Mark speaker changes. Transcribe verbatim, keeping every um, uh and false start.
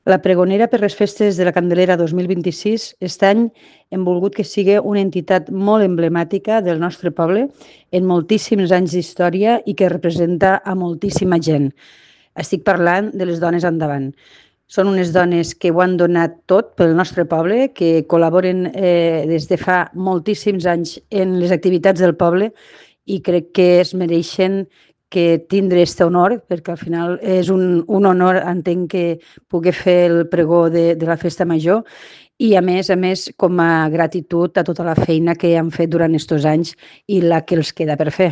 Speaker 1: La pregonera per les festes de la Candelera dos mil vint-i-sis, aquest any hem volgut que sigui una entitat molt emblemàtica del nostre poble en moltíssims anys d'història i que representa a moltíssima gent. Estic parlant de les dones endavant. Són unes dones que ho han donat tot pel nostre poble, que col·laboren eh, des de fa moltíssims anys en les activitats del poble i crec que es mereixen que tindre aquest honor, perquè al final és un, un honor, entenc, que pugui fer el pregó de, de la festa major i, a més a més, com a gratitud a tota la feina que han fet durant aquests anys i la que els queda per fer.